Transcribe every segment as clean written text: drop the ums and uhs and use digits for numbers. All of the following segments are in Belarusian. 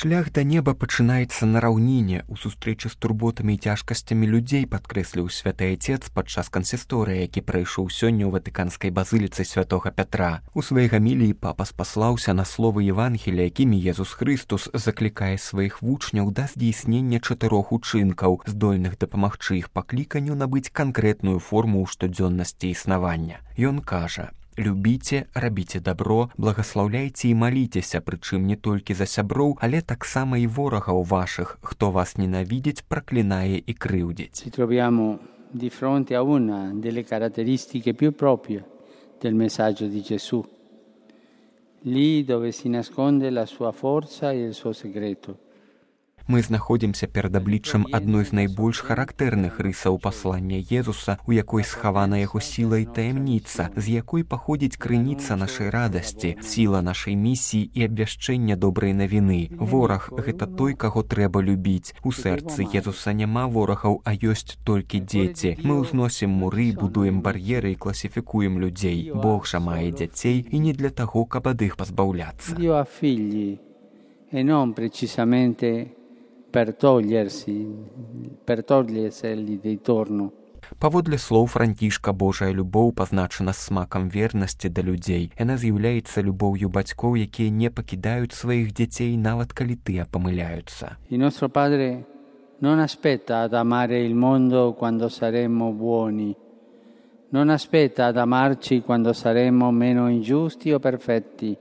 Шлях да неба пачынаецца на раўніне, у сустрэчы з турботамі і цяжкасцямі людзей, падкрэсліў святы айцец падчас кансісторыі, які прайшоў сёння ў ватыканскай базыліцы святога Пятра. У сваёй гаміліі папа спаслаўся на словы Евангелія, якімі Езус Хрыстус заклікае сваіх вучняў да здзейснення 4 учынкаў, здольных дапамагчы іх пакліканню набыць канкрэтную форму ў штодзённасці існавання. Ён кажа: «Любіце, рабіце дабро, благаслаўляйце і маліцеся, прычым не толькі за сяброў, але таксама і ворагаў вашых, хто вас ненавідзіць, праклінае і крыўдзіць». Ci troviamo di fronte a una delle caratteristiche più proprie del messaggio di Gesù, lì dove si nasconde la sua forza e il suo segreto. Мы знаходзімся перад абліччам адной з найбольш характэрных рысаў паслання Езуса, у якой схавана яго сіла і таямніца, з якой паходзіць крыніца нашай радасці, сіла нашай місіі і абвяшчэння добрай навіны. Вораг – гэта той, каго трэба любіць. У сэрцы Езуса няма ворагаў, а ёсць толькі дзеці. Мы ўзносім муры, будуем бар'еры і класіфікуем людзей. Бог жа мае дзяцей і не для таго, каб ад іх пазбаўляцца. Dio ha figli e non precisamente per toglierseli di torno. Паводле слоў Францішка, Божая любоў пазначана смакам вернасці да людзей. Яна з'яўляецца любоўю бацькоў, якія не пакідаюць сваіх дзяцей, нават калі тыя памыляюцца. Il nostro Padre non aspetta ad amare il mondo quando saremo buoni, non aspetta ad amarci quando saremo meno ingiusti o perfetti.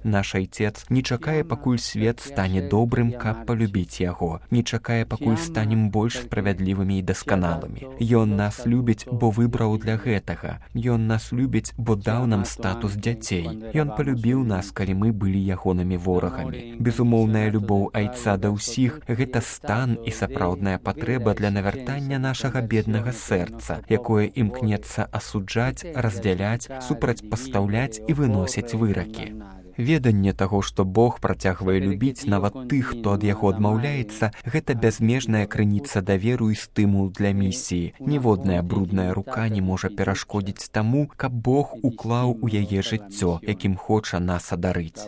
Наш айцец не чакае, пакуль свет стане добрым, каб палюбіць яго, не чакае, пакуль станем больш справядлівымі і дасканалымі. Ён нас любіць, бо выбраў для гэтага. Ён нас любіць, бо даў нам статус дзяцей. Ён палюбіў нас, калі мы былі ягонымі ворагамі. Безумоўная любоў айца да ўсіх – гэта стан і сапраўдная патрэба для навяртання нашага беднага сэрца, якое імкнецца асуджаць, раздзяляць, супрацьпастаўляць і выносіць выракі. Веданне таго, што Бог працягвае любіць нават тых, хто ад яго адмаўляецца, гэта бязмежная крыніца даверу і стымул для місіі. Ніводная брудная рука не можа перашкодзіць таму, каб Бог уклаў у яе жыццё, якім хоча нас адарыць.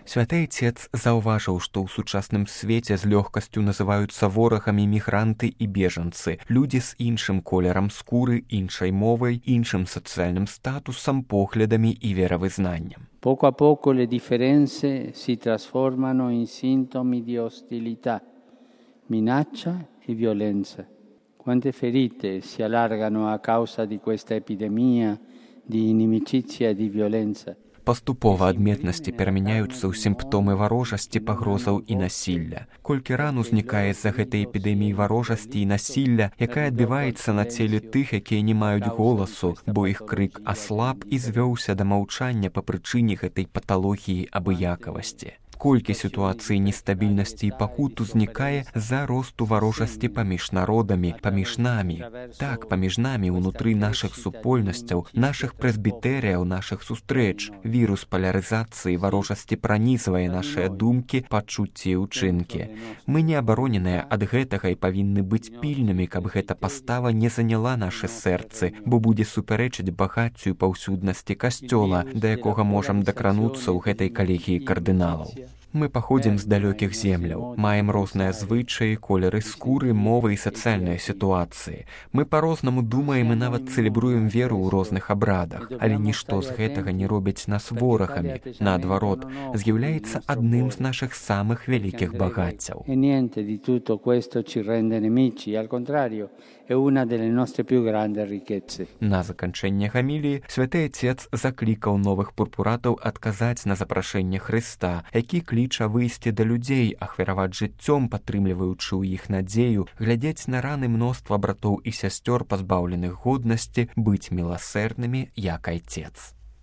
Святы айцец заўважыў, што ў сучасным свеце з лёгкасцю называюцца ворагамі мігранты і бежанцы, людзі з іншым колерам скуры, іншай мовай, іншым сацыяльным статусам, поглядамі і веравызнаннем. Poco a poco le differenze si trasformano in sintomi di ostilità, minaccia e violenza. Quante ferite si allargano a causa di questa epidemia di inimicizia e di violenza. Паступова адметнасці перамяняюцца ў сімптомы варожасці, пагрозаў і насілля. Колькі ран узнікае з-за гэтай эпідэміі варожасці і насілля, якая адбіваецца на целе тых, якія не маюць голасу, бо іх крык аслаб і звёўся да маўчання па прычыне гэтай паталогіі абыякавасці. Колькі сітуацый нестабільнасці і пакут узнікае з-за росту варожасці паміж народамі, паміж намі. Так, паміж намі ўнутры нашых супольнасцяў, нашых прэсбітэрыяў, нашых сустрэч. Вірус палярызацыі варожасці пранізвае нашыя думкі, пачуцці і ўчынкі. Мы не абароненыя ад гэтага і павінны быць пільнымі, каб гэта пастава не заняла нашы сэрцы, бо будзе супярэчыць багаццю і паўсюднасці касцёла, да якога можам дакрануцца ў гэтай калегіі кардыналаў. Мы паходзім з далёкіх земляў, маем розныя звычаі, колеры скуры, мовы і сацыяльныя сітуацыі. Мы па-рознаму думаем і нават цэлебруем веру ў розных абрадах, але нішто з гэтага не робіць нас ворагамі. Наадварот, з'яўляецца адным з нашых самых вялікіх багаццяў. На заканчэнне гаміліі святы айцец заклікаў новых пурпуратаў адказаць на запрашэнне Хрыста, які кліча выйсці да людзей, ахвяраваць жыццём, падтрымліваючы ў іх надзею, глядзець на раны мноства братоў і сясцёр, пазбаўленых годнасці, быць міласэрнымі, як айцец.